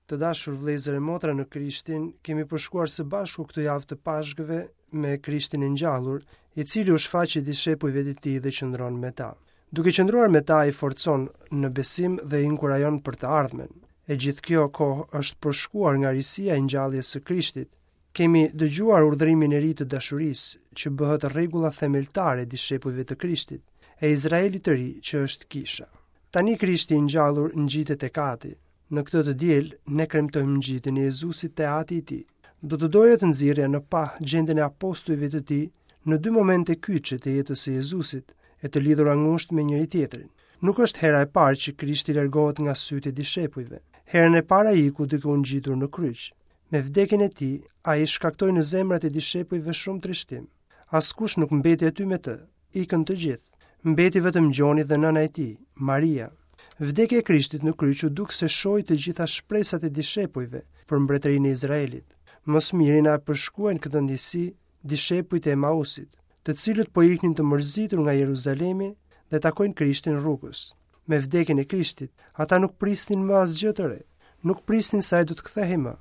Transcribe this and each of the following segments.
Të dashur vëllezër e motra në Krishtin, kemi përshkuar së bashku këtë javë të Pashkëve me Krishtin e ngjallur, i cili u shfaqet dishepujve të tij dhe qëndron me ta. Duke qëndruar me ta, i forcon në besim dhe i inkurajon për të ardhmen. E gjithë kjo kohë është përshkuar nga risia e ngjalljes së Krishtit. Kemi dëgjuar urdhërimin e ri të dashurisë, që bëhet rregulla themeltare e dishepujve të Krishtit, e Izraelit të ri që është kisha. Tani Krishti i ngjallur ngjitet tek Ati. Në këtë të diel, ne kremtojmë ngjitjen e Jezusit te Ati i tij. Do të doja të nxirrja në pah gjendjen e apostujve të tij në dy momente kyçe të jetës së Jezusit, e të lidhura ngushtë me njëri-tjetrin. Nuk është hera e parë që Krishti largohet nga sytë e dishepujve. Herën e parë ai iku duke u ngjitur në kryq. Me vdekjen e tij, ai shkaktoi në zemrat e dishepujve shumë trishtim. Askush nuk mbeti aty me të, ikën të gjithë. Mbeti vetëm Gjoni dhe nëna e tij, Maria. Vdekja e Krishtit në kryq u duk se shoi të gjitha shpresat e dishepujve për mbretërinë e Izraelit. Më së miri na e përshkruajnë këtë ndjesi dishepujt e Emausit, të cilët po iknin të mërzitur nga Jeruzalemi dhe takojnë Krishtin rrugës. Me vdekjen e Krishtit, ata nuk prisnin më asgjë të re. Nuk prisnin se ai do të kthehej më.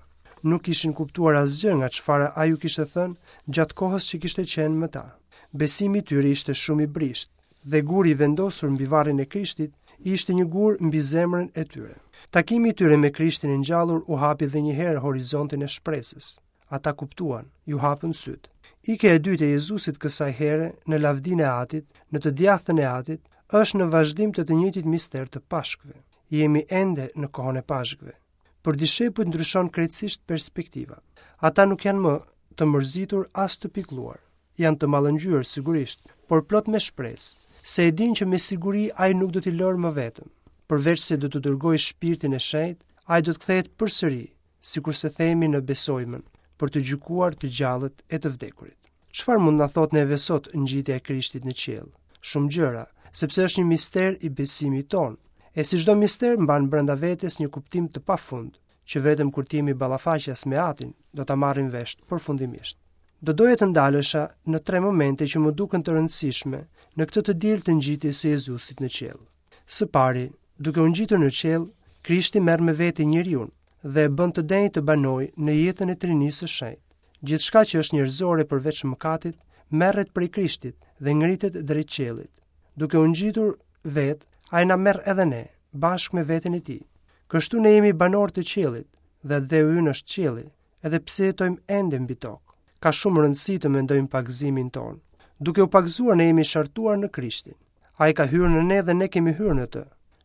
Nuk kishin kuptuar asgjë nga çfarë ai u kishte thënë gjatë kohës që kishte qenë me ta. Besimi i tyre ishte shumë i brishtë dhe guri i vendosur mbi varrin e Krishtit ishte një gur mbi zemrën e tyre. Takimi i tyre me Krishtin e ngjallur u hapi dhe një herë horizontin e shpresës. Ata kuptuan, iu hapën sytë. Ikja e dytë e Jezusit kësaj here në lavdinë e Atit, në të djathtën e Atit, është në vazhdim të të njëjtit mister të Pashkëve. Jemi ende në kohën e Pashkëve. Për dishepujt ndryshon krejtësisht perspektiva. Ata nuk janë më të mërzitur as të pikëlluar. Janë të mallëngjyer sigurisht, por plot me shpresë, se e dinë që me siguri ai nuk do t'i lërë më vetëm. Përveç se do të dërgojë shpirtin e shenjtë, ai do të kthehet përsëri, sikurse themi në Besojmën, për të gjykuar të gjallët e të vdekurit. Çfarë mund na thotë neve sot ngjitja e Krishtit në qiell? Shumë gjëra, sepse është një mister i besimit tonë. E si çdo mister mban brenda vetes një kuptim të pafund, që vetëm kur të jemi ballafaqas me Atin, do ta marrim vesh përfundimisht. Do doja të ndalesha në tre momente që më duken të rëndësishme në këtë të diel të ngjitjes së Jezusit në qiell. Së pari, duke u ngjitur në qiell, Krishti merr me vete njeriun dhe e bën të denjë të banojë në jetën e Trinisë së Shenjtë. Gjithçka që është njerëzore përveç mëkatit, merret prej Krishtit dhe ngritet drejt qiellit. Duke u ngjitur vetë, ai na merr edhe ne, bashkë me veten e tij. Kështu ne jemi banorë të qiellit dhe atdheu ynë është qielli, edhe pse jetojmë ende mbi tokë. Ka shumë rëndësi të mendojmë pagëzimin tonë. Duke u pagëzuar ne jemi shartuar në Krishtin. Ai ka hyrë në ne dhe ne kemi hyrë në të.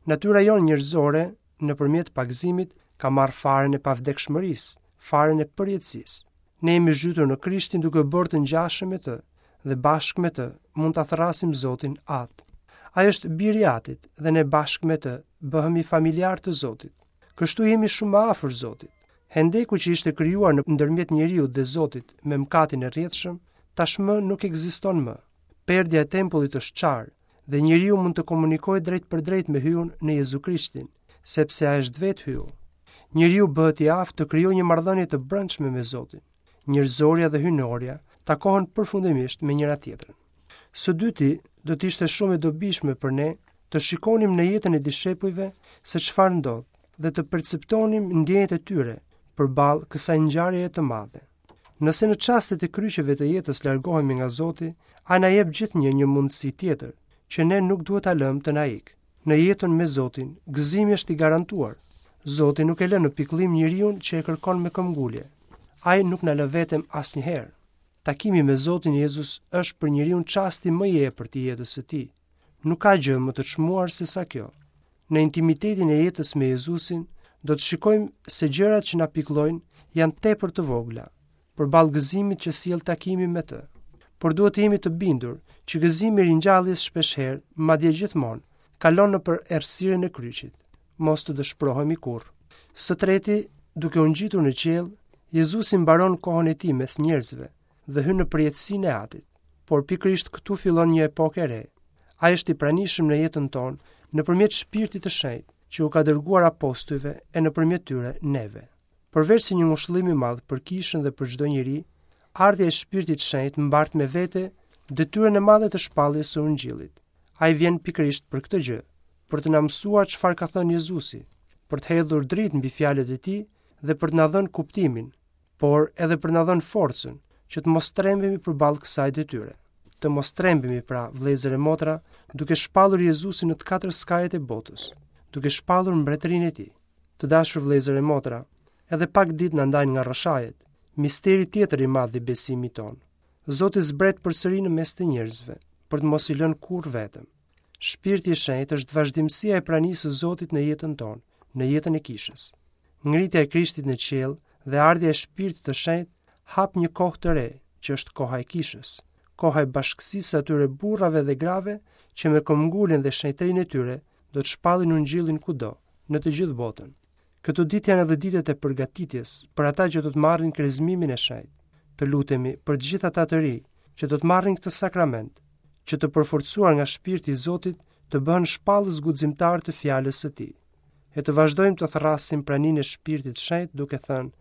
Natyra jonë njerëzore, nëpërmjet pagëzimit, ka marrë farën e pavdekshmërisë, farën e përjetësisë. Ne jemi zhytur në Krishtin duke u bërë të ngjashëm me të dhe bashkë me të mund ta thërrasim Zotin Atë. Ai është biri i Atit dhe ne bashkë me të bëhemi familjarë të Zotit. Kështu jemi shumë më afër Zotit. Hendeku që ishte krijuar në ndërmjet njeriut dhe Zotit me mëkatin e rrjedhshëm, tashmë nuk ekziston më. Perdja e tempullit është çarë dhe njeriu mund të komunikojë drejtpërdrejt me Hyun në Jezu Krishtin, sepse ai është vetë Hyu. Njeriu bëhet i aftë të krijojë një marrëdhënie të brendshme me Zotin. Njerëzorja dhe hyjnorja takohen përfundimisht me njëra tjetrën. Së dyti, do të ishte shumë e dobishme për ne të shikonim në jetën e dishepujve se çfarë ndodh dhe të perceptonim ndjenjat e tyre përballë kësaj ngjarjeje të madhe. Nëse në çastet e kryqeve të jetës largohemi nga Zoti, ai na jep gjithnjë një mundësi tjetër, që ne nuk duhet ta lëmë të na ikë. Në jetën me Zotin, gëzimi është i garantuar. Zoti nuk e lë në pikëllim njeriun që e kërkon me këmbgulje. Ai nuk na lë vetëm asnjëherë. Takimi me Zotin Jezus është për njeriun çasti më i epërt i jetës së tij. Nuk ka gjë më të çmuar se sa kjo. Në intimitetin e jetës me Jezusin, do të shikojmë se gjërat që na pikëllojnë janë tepër të vogla, përballë gëzimit që sjell takimi me të. Por duhet të jemi të bindur që gëzimi i ringjalljes shpeshherë, madje gjithmonë, kalon nëpër errësirën e kryqit. Mos të dëshpërohemi kurrë. Së treti, duke u ngjitur në qiell, Jezusi mbaron kohën e tij mes njerëzve dhe hyn në përjetësinë e Atit. Por pikërisht këtu fillon një epokë e re. Ai është i pranishëm në jetën tonë nëpërmjet Shpirtit të Shenjtë, që u ka dërguar apostujve e nëpërmjet tyre neve. Përveç se një ngushëllim i madh për kishën dhe për çdo njeri, ardhja e Shpirtit të Shenjtë mbart me vete detyrën e madhe të shpalljes së Ungjillit. Ai vjen pikërisht për këtë gjë, për të na mësuar çfarë ka thënë Jezusi, për të hedhur dritë mbi fjalët e tij dhe për të na dhënë kuptimin, por edhe për të na dhënë forcën që të mos trembemi përballë kësaj detyre. Të mos trembemi pra, vëllezër e motra, duke shpallur Jezusin në të katër skajet e botës, duke shpallur mbretërinë e tij. Të dashur vëllezër e motra, edhe pak ditë na ndajnë nga Rroshajet, misteri tjetër i madh i besimit tonë. Zoti zbret përsëri në mes të njerëzve, për të mos i lënë kurrë vetëm. Shpirti i Shenjtë është vazhdimësia e pranisë së Zotit në jetën tonë, në jetën e kishës. Ngritja e Krishtit në qiell dhe ardhja e Shpirtit të Shenjtë hap një kohë të re, që është koha e kishës, koha e bashkësisë së atyre burrave dhe grave që me këmbënguljen dhe shenjtërinë e tyre do të shpallin ungjillin kudo, në të gjithë botën. Këto ditë janë edhe ditët e përgatitjes për ata që do të marrin krezmimin e shenjtë. Të lutemi për të gjithë ata të rinj që do të marrin këtë sakrament, që të përforcuar nga shpirti i Zotit të bëhen shpallës guximtarë të fjalës së tij. E të vazhdojmë të thërrasim praninë e shpirtit të shenjtë duke thënë: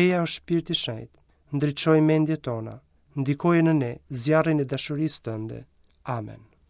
Eja o shpirt i shenjtë, ndriçoji mendjet tona, ndikoje në ne zjarrin e dashurisë tënde. Amen.